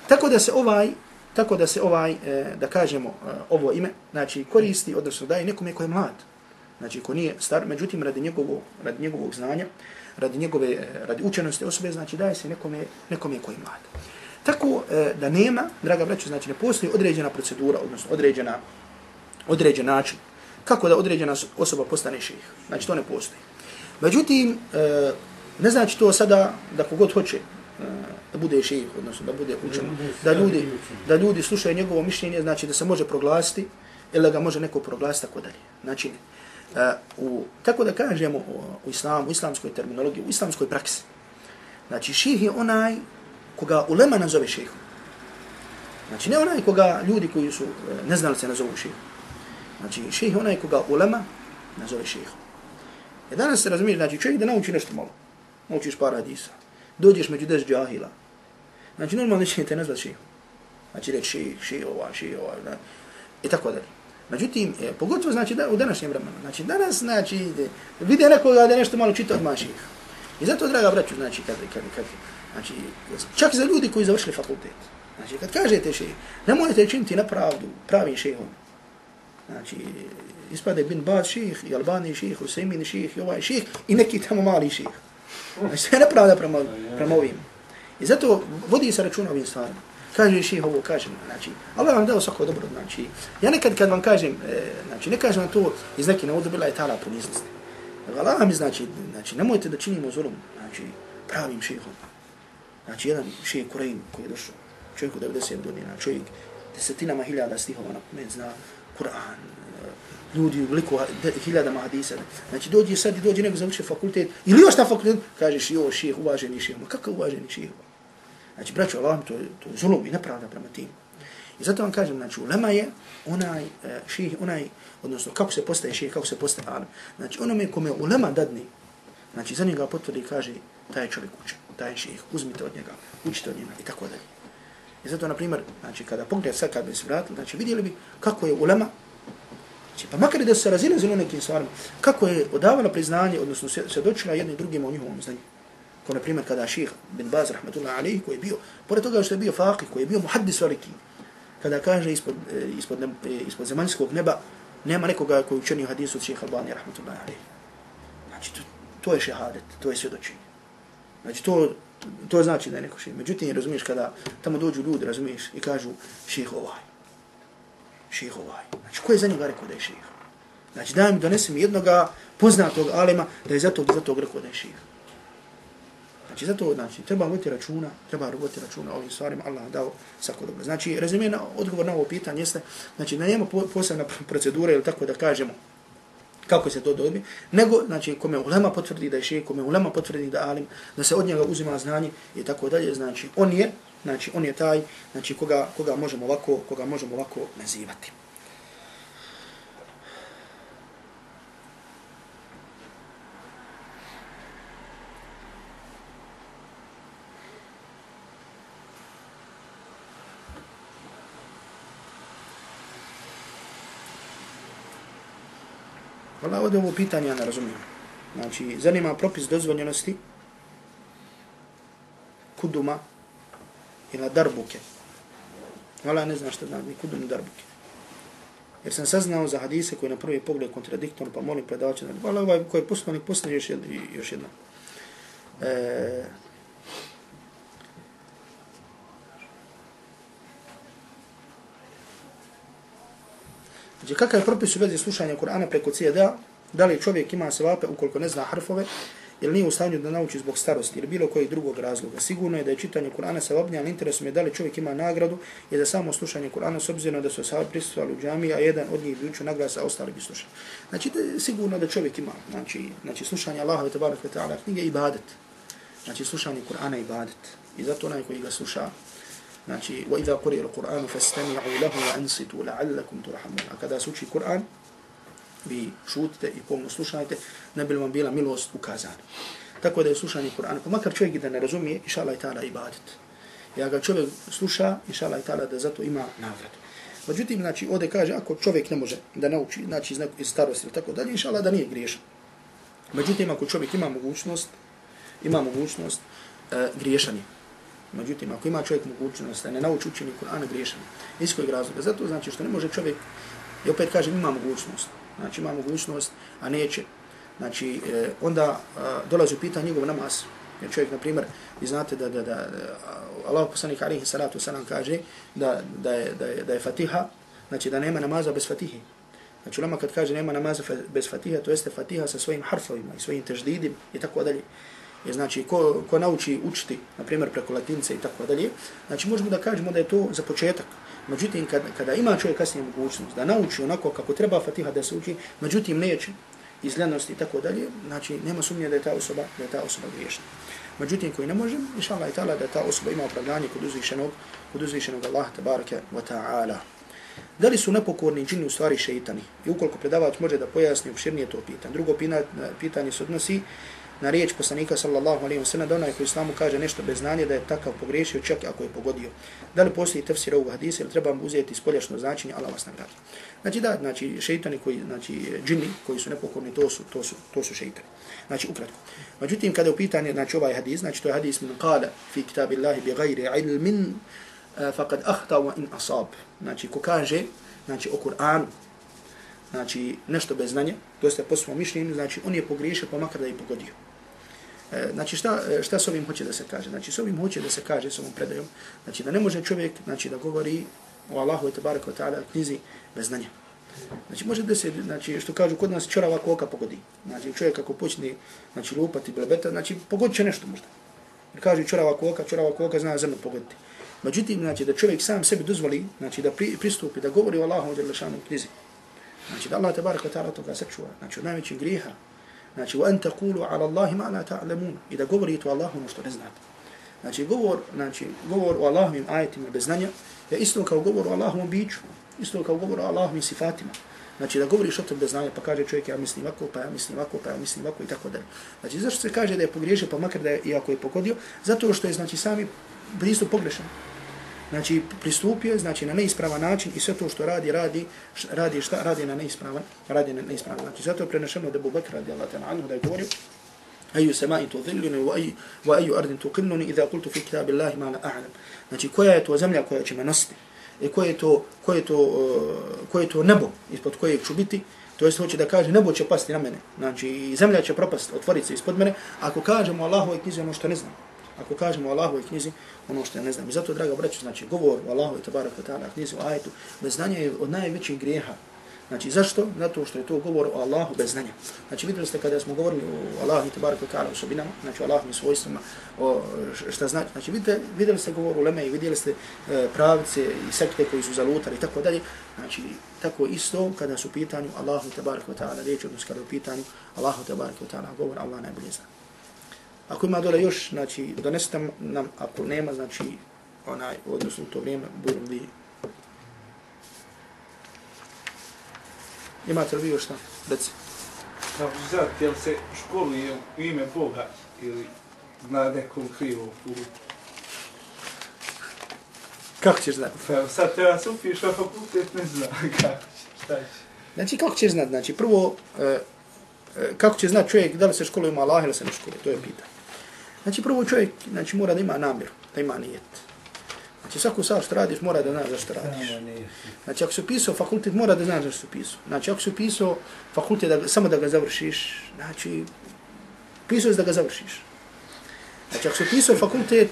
Tako da se ovaj, tako da se ovaj, e, da kažemo e, ovo ime, znači koristi, odnosno daje nekome ko je mlad. Znači ko nije star, međutim radi njegovog, radi njegovog znanja, radi njegove, radi učenosti osobe, znači daje se nekome, nekome koji je mlad. Tako e, da nema, draga braćo, znači ne postoji određena procedura, odnosno određena, određen način kako da određena osoba postane šejh. Znači to ne postoji. Međutim, e, ne znači to sada da kogod hoće e, da bude šejh, odnosno da bude učen, da ljudi, da ljudi slušaju njegovo mišljenje, znači da se može proglasiti ili da ga može neko proglasiti tako dalje. Znači ne. Uh, u, tako da kažemo u, u islamu, u islamskoj terminologiji, u islamskoj praksi. Znači šejh je onaj koga ulema nazove šejhom. Znači ne onaj koga ljudi koji su neznalice nazovu šejhom. Znači šejh je onaj koga ulema nazove šejhom. I danas se razumiješ, znači čovjek da nauči nešto malo. Naučiš par hadisa. Dođeš među deset džahila. Znači normalno će te nazvati šejhom. Znači reći šejh, šejh ovaj, šejh ovaj, i tako dalje. Međutim, e, pogotovo znači da, u današnjem vremenu. Znači danas znači vide nekoga da nešto malo čita od maših. I zato, draga braću, znači kad, kad, kad, znači čak za ljudi koji završili fakultet. Znači kad kažete šejh, nemojte činiti nepravdu pravim šejhom. Znači ispade bin Baz šejh, i Albani šejh, Usejmin šejh, i ovaj šejh i neki tamo mali šejh. Znači sve nepravda prema, prema ovim. I zato vodi se računa ovim stvarima. Kaže šejh ovo, kažem, znači, Allah vam dao svako dobro, znači, ja nekad kad vam kažem, e, znači, ne kažem to iz neke naudubila i ta'ala poniznosti. Allah mi znači, znači, nemojte da činimo zulum, znači, pravim šejhom. Znači, jedan šejh Kurejn koji je došao, čovjek u devedeset godina, čovjek desetinama hiljada stihova na pamet zna Kur'an, ljudi u liku hiljadama hadisa. Znači, dođe sad i dođe neko završi fakultet, ili još na fakultet, kažeš, jo, šejh, uvaženi šejh, ma kakav uvaženi šejh? Znači, braćo, Allah, to je, to je zulum i nepravda prema tim. I zato vam kažem, znači, ulema je onaj šejh, onaj, odnosno, kako se postaje šejh, kako se postaje alim. Znači, onome kome ulema dadne, znači, za njega potvrdi i kaže, taj je čovjek učen, taj je šejh, uzmite od njega, učite od njega i tako dalje. I zato, na primjer, znači, kada pogled sad kad bi se vratili, znači, vidjeli bi kako je ulema, Znači, pa makar da su se razilazili u nekim stvarima, kako je odavala priznanje, odnosno svjedočila jedni drugima o njihovom znanju. Kao na primjer kada šejh bin Baz rahmetullahi alejhi koji je bio, pored toga što je bio faqih, koji je bio muhaddis veliki, kada kaže ispod, ispod, ne, ispod zemaljskog neba nema nekoga koji učenio hadisu od šejha Albani rahmetullahi alejhi. Znači, to, to je šehadet, to je svjedočenje. Znači, to, to znači da je neko šejh. Međutim, razumiješ, kada tamo dođu ljudi, razumiješ, i kažu šejh ovaj, šejh ovaj. Znači, ko je za njega rekao da je šejh? Znači, daj mi, donesi mi jednoga poznatog alima da je za tog, za tog rekao da je šejh. Znači, zato, znači, treba voditi računa, treba voditi računa o ovim stvarima, Allah dao svako dobro. Znači, rezimena, odgovor na ovo pitanje jeste, znači, da nema posebna procedura ili tako da kažemo kako se to dobi, nego, znači, kome ulema potvrdi da je šejh, kome ulema potvrdi da alim, da se od njega uzima znanje i tako dalje, znači, on je, znači, on je taj, znači, koga, koga možemo ovako, koga možemo ovako nazivati. Hvala, ovdje ovo pitanje ja ne razumijem. Znači, zanima propis dozvoljenosti kuduma ili darbuke. Hvala, ne znam što znači kudum i darbuke. Jer sam saznao za hadise koji na prvi pogled kontradiktorno, pa molim predavača. Hvala, ovaj koji je poslanik poslije još jedno. Još jedno. E, Znači, kakav je propis u vezi slušanja Kur'ana preko C D-a? Da li čovjek ima sevape ukoliko ne zna harfove ili nije u stanju da nauči zbog starosti ili bilo kojeg drugog razloga? Sigurno je da je čitanje Kur'ana sevapnije, ali interesom je da li čovjek ima nagradu i za samo slušanje Kur'ana s obzirom da su ashabi prisustvovali u džamiji, a jedan od njih bi učio nagradu, a ostali bi slušali. Znači, da sigurno da čovjek ima. Znači, znači slušanje Allaha tebareke ve taala knjige ibadet. Znači, slušanje Kur'ana ibadet. I zato onaj koji ga sluša, znači, وَإِذَا قُرِئَ الْقُرْآنُ فَاسْتَمِعُوا لَهُ وَأَنْصِتُوا لَعَلَّكُمْ تُرْحَمُونَ. A kada se uči Kur'an, vi šutite i pomno slušajte, ne bi vam bila milost ukazana. Tako da je slušanje Kur'ana, pa makar čovjek da ne razumije, inša Allah i ta'ala ibadet. Ja ga čovjek sluša, inša Allah i ta'ala da zato ima nagradu. Međutim, znači, ovdje kaže, ako čovjek ne može da nauči, znači iz starosti ili tako dalje, inša Allah da nije griješan. Međutim, ako čovjek ima mogućnost, ima mogućnost, e, griješan je. Međutim, ako ima čovjek mogućnost da ne nauči učenje Kur'ana, griješan je. Iz kojeg razloga? Zato znači što ne može čovjek, i opet kažem, ima mogućnost. Znači, ima mogućnost, a neće. Znači, e, onda a, dolazi u pitanje njegov namaz. Jer čovjek, na primjer, vi znate da, da, da, da Allah poslanik alejhi salatu vesselam kaže da, da, je, da, je, da je Fatiha, znači da nema namaza bez Fatihe. Znači, ulema kad kaže nema namaza bez Fatiha, to jeste Fatiha sa svojim harfovima i svojim teždidim i tako dalje. Je, znači, ko, ko nauči učiti, na primjer, preko latince i tako dalje, znači možemo da kažemo da je to za početak. Međutim, kada, kada ima čovjek kasnije mogućnost da nauči onako kako treba Fatiha da se uči, međutim neće iz ljenosti i tako dalje, znači nema sumnje da je ta osoba, da je ta osoba griješna. Međutim, koji ne može, inša Allah i ta'ala, da ta osoba ima opravdanje kod uzvišenog, kod uzvišenog Allaha tabaraka wa ta'ala. Da li su nepokorni džini u stvari šeitani? I ukoliko predavač može da pojasni opširnije to pitanje. Drugo pitanje se odnosi na riječ poslanika sallallahu alejhi ve sellem da onaj koji islamu kaže nešto bez znanja da je takav pogriješio čak ako je pogodio. Da li postoji tefsir ovog hadisa ili trebamo uzeti spoljašno značenje, Allah vas nagradi. Znači da, znači šejtani koji, znači džini koji su nepokorni, to su to su to su šejtani. Znači ukratko. Međutim kada je u pitanje znači ovaj hadis, znači to je hadis min qala fi kitabillahi bighayri ilmin faqad akhta wa in asab. Znači ko kaže znači o Kur'anu, znači nešto bez znanja, to jeste po svom mišljenju, znači on je pogriješio pa makar da je pogodio. E, znači šta, šta s ovim hoće da se kaže? Znači s ovim hoće da se kaže, s ovom predajom, znači da ne može čovjek znači, da govori o Allahu tebareke ve taala knjizi bez znanja. Znači može da se, znači što kažu kod nas čorava koka pogodi. Znači čovjek ako počne znači, lupati blebeta, znači pogodit će nešto možda. Jer kaže čorava koka, čorava koka zna zrno pogoditi. Međutim, znači da čovjek sam sebi dozvoli, znači da pri, pristupi, da govori o Allahu dželle knjizi. Znači da Allah tebareke ve taala toga sačuva, znači od najvećih grijeha. Znači wa an taqulu ala Allahi ma la ta'lamun, i da govorite o Allahu ono što ne znate. Znači govor, znači govor o Allahovim ajetima bez znanja je isto kao govor o Allahovom biću, isto kao govor o Allahovim sifatima. Znači da govoriš o tom bez znanja, pa kaže čovjek ja mislim ovako, pa ja mislim ovako, pa ja mislim ovako i tako dalje. Znači zašto se kaže da je pogriješio, pa makar da je, iako je pogodio, zato što je znači sami pristup pogrešan. znači pristupio, znači na neispravan način i sve to što radi, radi, radi šta? Radi na neispravan, radi na neispravan način. Zato je prenešeno da Abu Bakr radijallahu ta'ala anhu da je govorio ayu sama'in tudhilluni wa ayu wa ayu ardin tuqilluni idha qultu fi kitabillahi ma la a'lam. Znači koja je to zemlja koja će me nositi? I koje je to, koje je to, uh, koje je to nebo ispod kojeg ću biti? To jest hoće da kaže nebo će pasti na mene. Znači zemlja će propasti, otvoriti se ispod mene ako kažemo Allahovoj knjizi ono što ne znam. Ako kažemo Allahovoj knjizi ono što ja ne znam. I zato, draga braćo, znači govor o Allahovoj tebareke ve taala knjizi, o ajetu, bez znanja je od najvećih grijeha. Znači zašto? Zato što je to govor o Allahu bez znanja. Znači vidjeli ste kada smo govorili o Allahu tebareke ve taala osobinama, znači o Allahovim svojstvima, o šta znači. Znači vidite, vidjeli ste govor uleme i vidjeli ste e, pravice i sekte koji su zalutali i tako dalje. Znači tako isto kada su u pitanju Allahu tebareke ve taala riječ, odnosno kada u pitanju Allahu tebareke ve taala govor, Allah najbolje zna. Ako ima dole još, znači donesite nam, ako nema, znači onaj, odnosno u to vrijeme, budem vi. Imate li vi još šta? Reci. Kako ću znati, jel se školuje u ime Boga ili na nekom krivom putu? Kako ćeš znati? Pa sad treba se upiš na fakultet, ne znam kako će, šta će. Znači kako ćeš znati? Znači prvo, e, kako će znati čovjek da li se školuje ima Allah ili se ne školuje? To je pitanje. Znači prvo čovjek znači, mora da ima namjeru, da ima nijet. Znači svaku stvar što radiš mora da znaš zašto radiš. Znači ako si upisao fakultet mora da znaš zašto si upisao. Znači ako si upisao fakultet da, samo da ga završiš, znači upisao je da ga završiš. Znači ako si upisao fakultet,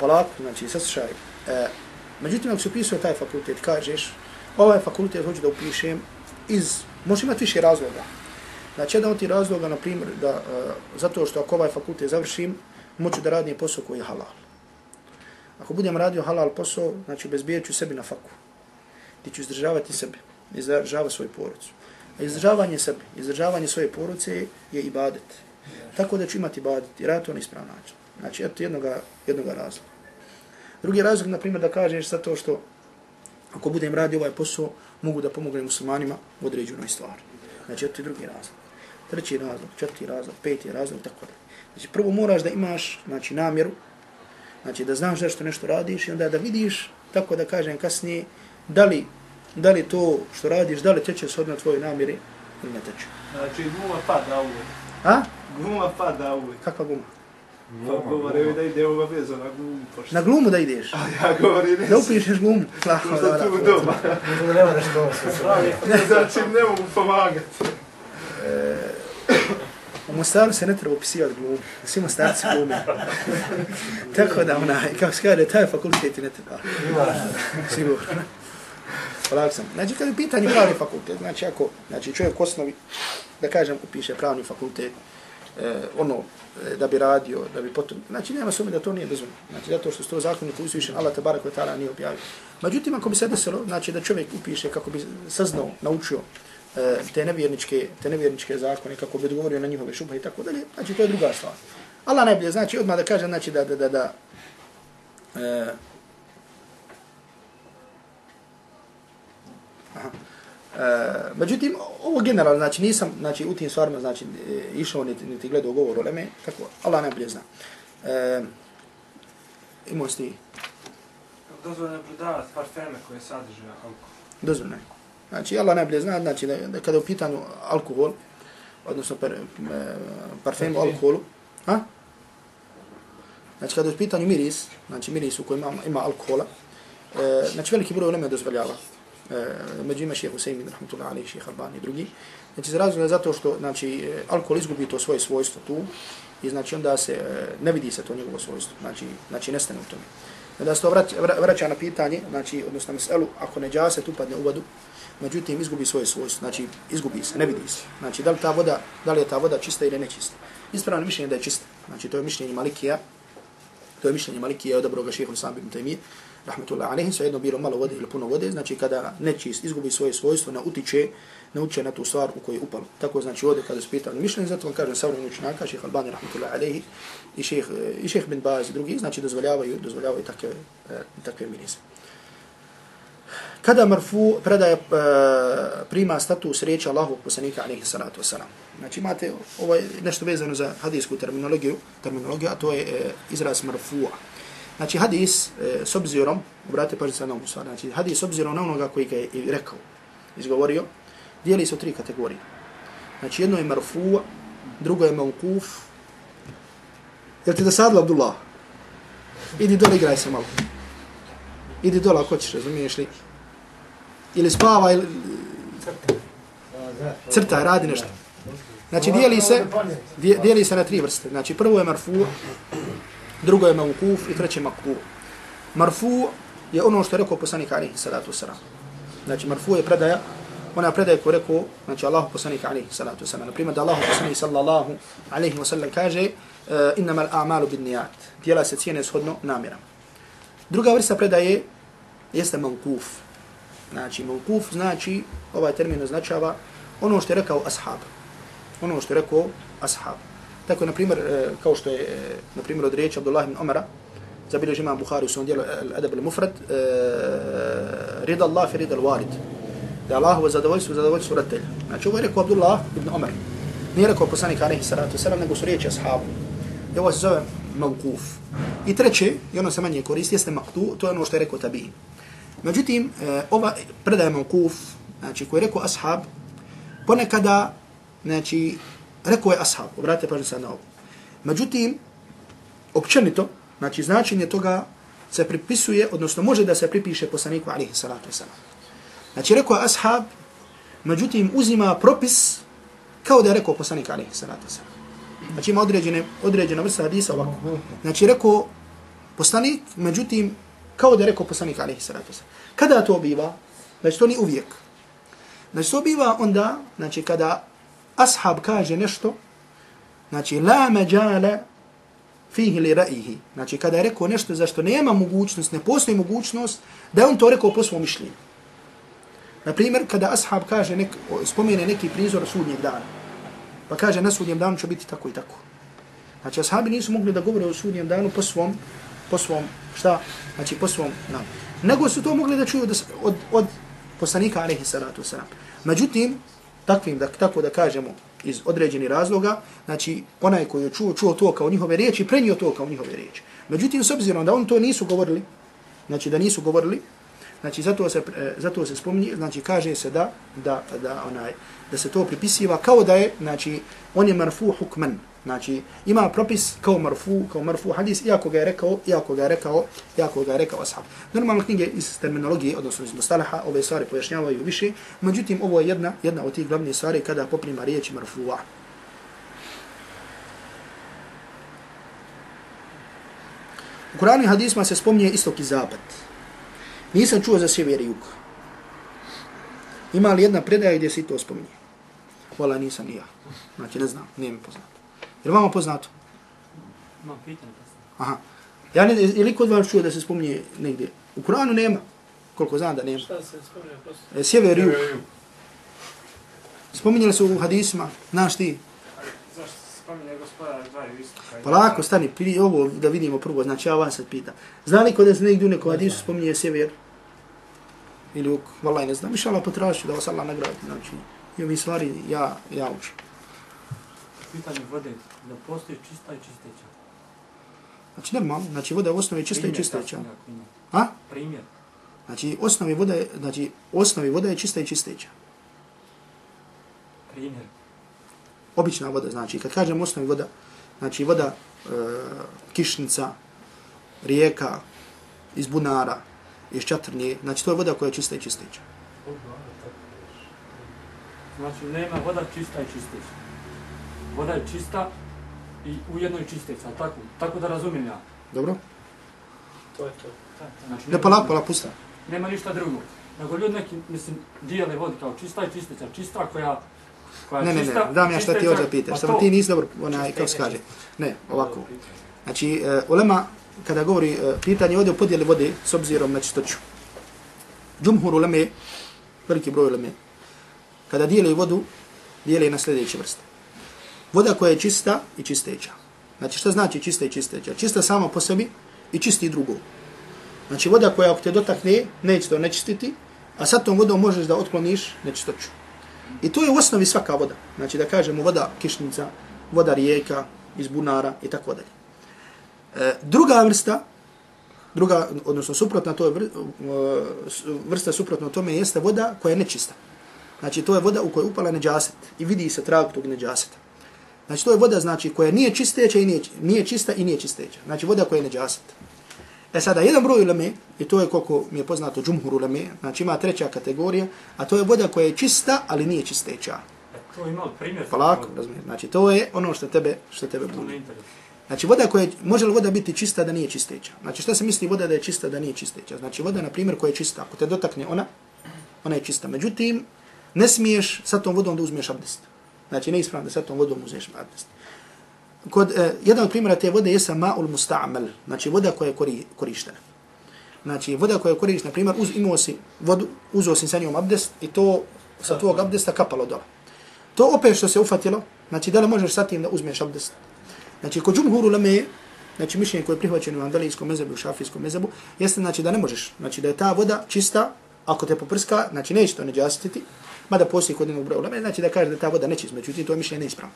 polako, znači saslušaj. E, međutim ako si upisao taj fakultet, kažeš ovaj fakultet hoću da upišem iz, može imati više razloga. Znači jedan od tih razloga, na primjer, da uh, zato što ako ovaj fakultet završim, moću da radim posao koji je halal. Ako budem radio halal posao, znači bezbijet ću sebi na faku. Ti ću izdržavati sebe, izdržavati svoju porodicu. A izdržavanje sebe, izdržavanje svoje porodice je ibadet. Tako da ću imati ibadet i raditi to na ispravan način. Znači, eto jednoga, jednoga razloga. Drugi razlog, na primjer, da kažeš zato što ako budem radio ovaj posao, mogu da pomognem muslimanima u određenoj stvari. Znači, eto je drugi razlog. Treći razlog, četvrti razlog, peti razlog, tako da. Znači, prvo moraš da imaš, znači, namjeru, znači, da znaš zašto nešto radiš i onda da vidiš, tako da kažem kasnije, da li, da li to što radiš, da li teče shodno tvojoj namjeri ili ne teče. Znači, guma pada uvijek. A? Guma pada uvijek. Kakva guma? Pa govore da ide obavezno na glumu. Na glumu da ideš? A ja govorim ne. Da upišeš glumu? Lahko, da, tu doma. Nema nešto se pravi. Znači, ne mogu pomagati. E, u Mostaru se ne treba upisivati glumu. Svi Mostarci glume. Tako da ona, kako se kaže, taj fakultet ne treba. Sigurno. Polako sam. Znači, kada je pitanje pravni fakultet, znači ako znači, čovjek u osnovi, da kažem, upiše pravni fakultet, eh, ono, da bi radio, da bi potom, znači nema sumnje da to nije dozvoljeno. Znači zato što sto zakonika uzvišen Allah tebareke ve taala nije objavio. Međutim ako bi se desilo, znači da čovjek upiše kako bi saznao, naučio e, te nevjerničke, te nevjerničke zakone, kako bi odgovorio na njihove šubhe i tako dalje, znači to je druga stvar. Allah najbolje znači odmah da kaže znači da da da da e, aha. Uh, međutim, ovo generalno, znači nisam znači, u tim stvarima znači, išao niti, niti gledao govor o leme, tako, Allah najbolje zna. Uh, imao si ti? Dozvoljeno je prodavati parfeme koje sadrže alkohol. Dozvoljeno je. Znači, Allah najbolje zna, znači, da, da kada je u pitanju alkohol, odnosno per, parfem o alkoholu, a? Znači, kada je u pitanju miris, znači miris u kojem ima, ima alkohola, uh, znači veliki broj leme dozvoljava. Među ima šeha Husaymin, rahmatullahi alejhi, šeha Albani i drugi. Znači, za razlog je zato što znači, alkohol izgubi to svoje svojstvo tu i znači onda se ne vidi se to njegovo svojstvo, znači, znači nestane u tome. Onda se to vraća, vraća na pitanje, znači, odnosno na meselu, ako neđaset upadne u vodu, međutim izgubi svoje svojstvo, znači izgubi se, ne vidi se. Znači, da li, ta voda, da li je ta voda čista ili nečista. Ispravno mišljenje da je čista, znači to je mišljenje Malikija, to je mišljenje Malikija, odabro ga šeha Islam ibn Taymije, rahmetullahi alejhi, svejedno bilo malo vode ili puno vode, znači kada nečist izgubi svoje svojstvo, ne utiče, ne utiče na tu stvar u kojoj je upalo. Tako znači ovdje kada su pitali mišljenje, zato vam kažem savremeni učenjaka, šejh Albani rahmetullahi alejhi i šejh i šejh bin Baz i drugi, znači dozvoljavaju, dozvoljavaju takve takve mirise. Kada marfu predaje prima status riječi Allahovog poslanika alejhi salatu vesselam. Znači imate ovaj nešto vezano za hadijsku terminologiju, terminologiju, a to je izraz marfu'a. Znači hadis e, s obzirom, obratite pažnju sad na ovu stvar, znači hadis s obzirom na onoga koji ga je i rekao, izgovorio, dijeli se u tri kategorije. Znači jedno je marfu, drugo je mauquf. Jel ti dosadilo, Abdullah? Idi dole, igraj se malo. Idi dole ako ćeš, razumiješ li? Ili spava, ili... crta, radi nešto. Znači dijeli se, dijeli se na tri vrste. Znači prvo je marfu, drugo je mauquf i treće maqtu. Marfu je ono što je rekao poslanik alejhi salatu vesselam. Znači marfu je predaja, ona predaja koju je rekao, znači Allahu poslanik alejhi salatu vesselam. Na primjer da Allahu poslanik sallallahu alejhi ve sellem kaže innamal a'malu binniyat. Djela se cijene shodno namjerama. Druga vrsta predaje jeste mauquf. Znači mauquf znači, ovaj termin označava ono što je rekao ashab. Ono što je rekao ashab. Tako, na primjer, kao što je, na primjer, od riječi Abdullah ibn Umara, zabilježi imam Buhari u svom dijelu Al-Adab al-Mufrad, rida Allah fi rida al-Walid. Da Allahovo zadovoljstvo, zadovoljstvo roditelja. Znači, ovo je rekao Abdullah ibn Umar. Nije rekao poslanik alejhi salatu vesselam, nego su riječi ashabu. I ovo se zove mauquf. I treće, i ono se manje koristi, jeste maqtu, to je ono što je rekao tabi'in. Međutim, ova predaja mauquf, znači, koji je rekao ashab, ponekada, znači, rekao je ashab, obratite pažnju sad na ovo. Međutim, općenito, znači značenje toga se pripisuje, odnosno može da se pripiše poslaniku alejhi salatu vesselam. Znači rekao je ashab, međutim uzima propis kao da je rekao poslanik alejhi salatu vesselam. Znači ima određene, određena vrsta hadisa ovako. Znači rekao poslanik, međutim kao da je rekao poslanik alejhi salatu vesselam. Kada to biva? Znači to ni uvijek. Znači to biva onda, znači kada ashab kaže nešto, znači la mađala fihi li ra'ihi. Znači kada je rekao nešto za što nema mogućnost, ne postoji mogućnost, da je on to rekao po svom mišljenju. Naprimjer, kada ashab kaže, nek, spomene neki prizor sudnjeg dana, pa kaže na sudnjem danu će biti tako i tako. Znači ashabi nisu mogli da govore o sudnjem danu po svom, po svom, šta? Znači po svom danu. Nego su to mogli da čuju od, od, od poslanika alejhi salatu vesselam. Međutim, takvim, da, tako da kažemo, iz određenih razloga, znači onaj koji je čuo, čuo to kao njihove riječi, prenio to kao njihove riječi. Međutim, s obzirom da on to nisu govorili, znači da nisu govorili, znači zato se, zato se spominje, znači kaže se da, da, da, onaj, da se to pripisiva kao da je, znači on je marfu hukman, znači ima propis kao marfu, kao marfu hadis, iako ga je rekao, iako ga je rekao, iako ga je rekao ashab. Normalno knjige iz terminologije, odnosno iz mustalaha, ove stvari pojašnjavaju više, međutim ovo je jedna, jedna od tih glavnih stvari kada poprima riječi marfu'a. U Kur'anu i hadisma se spominje istok i zapad. Nisam čuo za sjever i jug. Ima li jedna predaja gdje se to spominje? Hvala, nisam ni ja. Znači ne znam, nije mi poznato. Je li vama poznato? Imam pitanje poznato. Aha. Ja ne, je li kod vas čuo da se spominje negdje? U Kur'anu nema. Koliko znam da nema. Šta se spominje poznato? E, sjever i jug. Spominjali su u hadisma, znaš ti? Zašto se spominje gospodar dvaju istoka? Pa lako, stani, prije ovo da vidimo prvo, znači ja vas sad pitam. Zna li kod da se negdje u nekom hadisu spominje sjever? Ili jug? Valaj ne znam. Inšallah potražit da vas Allah nagradi. Znači, i ovi stvari ja, ja učim. Pitanje vode, da postoji čista i čisteća. Znači normalno, znači voda je u osnovi čista i čisteća. A? Primjer. Znači osnovi voda je, znači osnovi voda je čista i čisteća. Primjer. Obična voda, znači kad kažem osnovi voda, znači voda e, kišnica, rijeka, iz bunara, iz čatrnje, znači to je voda koja je čista i čisteća. Znači nema voda čista i čisteća. Voda je čista i ujedno i čisteća, tako, tako da razumijem ja. Dobro? To je to. Znači, Ne, pa lako, pa lako, pusta. Nema ništa drugo. Nego ljudi neki, mislim, dijele vodi kao čista i čisteća. Čista koja, koja Ne, ne, čista, ne, dam ja šta ti hoće pitaš, pa samo to- ti nisi dobro, onaj, kako se kaže. Ne, ovako. Znači, uh, ulema, kada govori uh, pitanje ovdje o podjeli vode s obzirom na čistoću. Džumhur uleme, veliki broj uleme, kada dijeli vodu, dijeli na sljedeće vrste. Voda koja je čista i čisteća. Znači, šta znači čista i čisteća? Čista sama po sebi i čisti drugo. Znači, voda koja ako te dotakne, neće to nečistiti, a sad tom vodom možeš da otkloniš nečistoću. I to je u osnovi svaka voda. Znači, da kažemo voda kišnica, voda rijeka, iz bunara i tako dalje. E, druga vrsta, Druga, odnosno suprotna to je vr, vrsta suprotno tome jeste voda koja je nečista. Znači to je voda u kojoj upala neđaset i vidi se trag tog neđaseta. Znači to je voda znači koja nije čisteća i nije, nije čista i nije čisteća. Znači voda koja je neđaset. E sada jedan broj uleme, i to je koliko mi je poznato džumhur uleme, znači ima treća kategorija, a to je voda koja je čista, ali nije čisteća. To ima primjer. Polako, razumijem. Znači to je ono što tebe što tebe budi. Znači voda koja je, može li voda biti čista da nije čisteća? Znači šta se misli voda da je čista da nije čisteća? Znači voda na primjer koja je čista, ako te dotakne ona, ona je čista. Međutim, ne smiješ sa tom vodom da uzmeš abdest. Znači ne ispravno da sa tom vodom uzmeš abdest. Kod eh, jedan od primjera te vode je ma'ul musta'mal, znači voda koja je kori, korištena. Znači voda koja je korištena, na primjer, uz, imao si vodu, uzeo si sa njom abdest i to sa tvojeg abdesta kapalo dole. To opet što se ufatilo, znači da li možeš sa tim da uzmeš abdest? Znači kod džumhur uleme, znači mišljenje koje je prihvaćeno u andelijskom mezebu i u šafijskom mezebu, jeste znači da ne možeš, znači da je ta voda čista, ako te poprska, znači neće to neđasititi, mada postoji kod jednog broja uleme, znači da kaže da ta voda nečist, međutim to je mišljenje neispravno.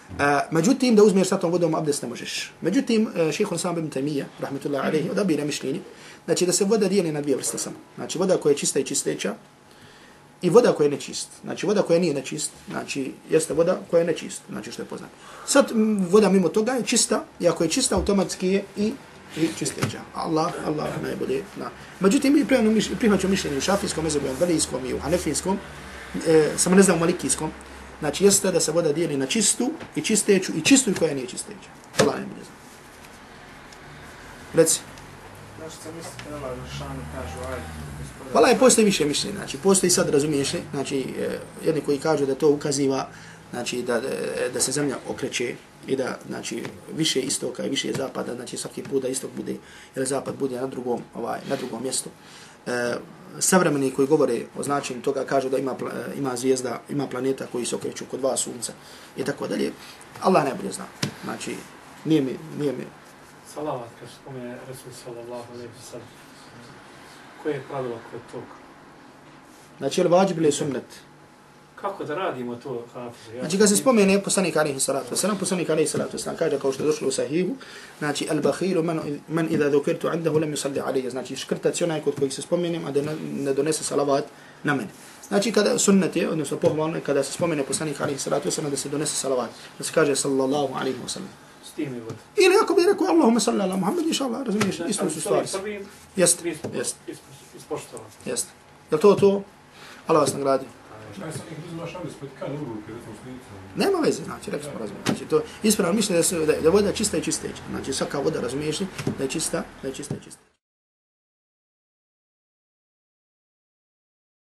Uh, međutim, da uzmeš sa tom vodom abdest ne možeš. Međutim, uh, šejh Islam ibn Taymija, rahmetullahi alejhi, odabira mišljenje, znači da se voda dijeli na dvije vrste samo. Znači voda koja je čista i čisteća i voda koja je nečist. Znači voda koja nije nečist, znači jeste voda koja je nečist, znači što je poznato. Sad voda mimo toga je čista, i ako je čista automatski je i i čisteća. Allah, Allah najbolje zna. Međutim, mi prihvaćamo mišljenje u šafijskom mezebu, u andelijskom i u hanefijskom, e, samo ne znam u malikijskom. Znači jeste da se voda dijeli na čistu i čisteću i čistu i koja nije čisteća. Allah najbolje zna. Reci. Znači sam mislite da Allah Žešanu kažu ajde. Hvala je, postoji više mišljenja. Znači postoji sad, razumiješ li, znači e, jedni koji kažu da to ukaziva, znači da, da, da se zemlja okreće i da znači više istoka i više zapada, znači svaki put da istok bude ili zapad bude na drugom ovaj na drugom mjestu. E, savremeni koji govore o značenju toga kažu da ima ima zvijezda, ima planeta koji se okreću oko dva sunca i tako dalje. Allah najbolje zna. Znači nije mi nije mi salavat kad spomene Resul sallallahu alejhi ve sellem. Koje je pravilo kod toga? Znači je vađib ili sunnet? Kako da radimo to, Hafiz? Znači kad se spomene poslanik alejhi salatu vesselam, poslanik alejhi salatu vesselam kaže kao što je došlo u sahihu, znači al-bakhilu man man idha dhukirtu indahu lam yusalli alayhi, znači škrtac onaj kod kojeg se spomenem, a da ne donese salavat na mene. Znači kada sunnet je, odnosno pohvalno kada se spomene poslanik alejhi salatu vesselam da se donese salavat, da se kaže sallallahu alejhi ve sellem. S tim je vod. Ili ako bi rekao Allahumma salli ala Muhammad, inshallah, razumiješ, isto su stvari. Jeste, jeste. Ispoštovano. Jeste. Jel to to? Allah vas nagradi. Nema veze, znači, rekli smo razumiješ. Znači, to ispravno mišljenje da, da je voda čista i čisteća. Znači, svaka voda, razumiješ, da je čista, da je čista i čista.